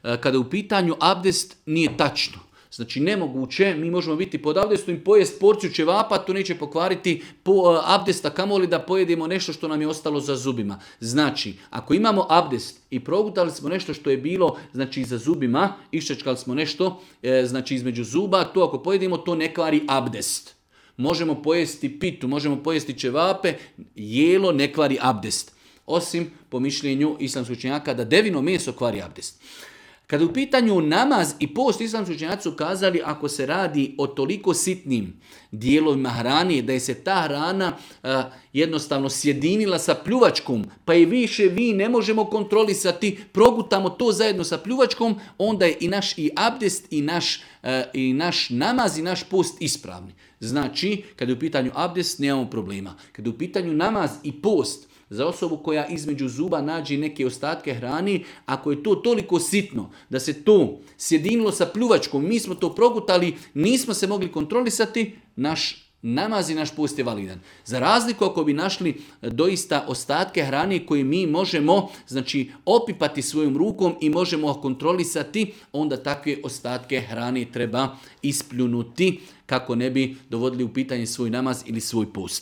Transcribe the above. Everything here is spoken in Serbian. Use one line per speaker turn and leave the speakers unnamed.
kada je u pitanju abdest nije tačno. Znači nemoguće, mi možemo biti pod abdestom i pojest porciju ćevapa, to neće pokvariti abdesta, kamoli da pojedemo nešto što nam je ostalo za zubima. Znači, ako imamo abdest i progutali smo nešto što je bilo znači za zubima, iščečkali smo nešto znači između zuba, to ako pojedemo to ne kvari abdest. Možemo pojesti pitu, možemo pojesti ćevape, jelo ne kvari abdest. Osim po mišljenju islamskih učenjaka da devino meso kvari abdest. Kada u pitanju namaz i post, islamski učenjaci su kazali ako se radi o toliko sitnim dijelovima hrane da je se ta hrana jednostavno sjedinila sa pljuvačkom, pa i više vi ne možemo kontrolisati, progutamo to zajedno sa pljuvačkom, onda je i naš i abdest i naš namaz i naš post ispravni. Znači, kada je u pitanju abdest, nemamo problema. Kada je u pitanju namaz i post, za osobu koja između zuba nađe neke ostatke hrane, ako je to toliko sitno da se to sjedinilo sa pljuvačkom, mi smo to progutali, nismo se mogli kontrolisati, naš namaz i naš post je validan. Za razliku ako bi našli doista ostatke hrane koje mi možemo znači opipati svojom rukom i možemo kontrolisati, onda takve ostatke hrane treba ispljunuti kako ne bi dovodili u pitanje svoj namaz ili svoj post.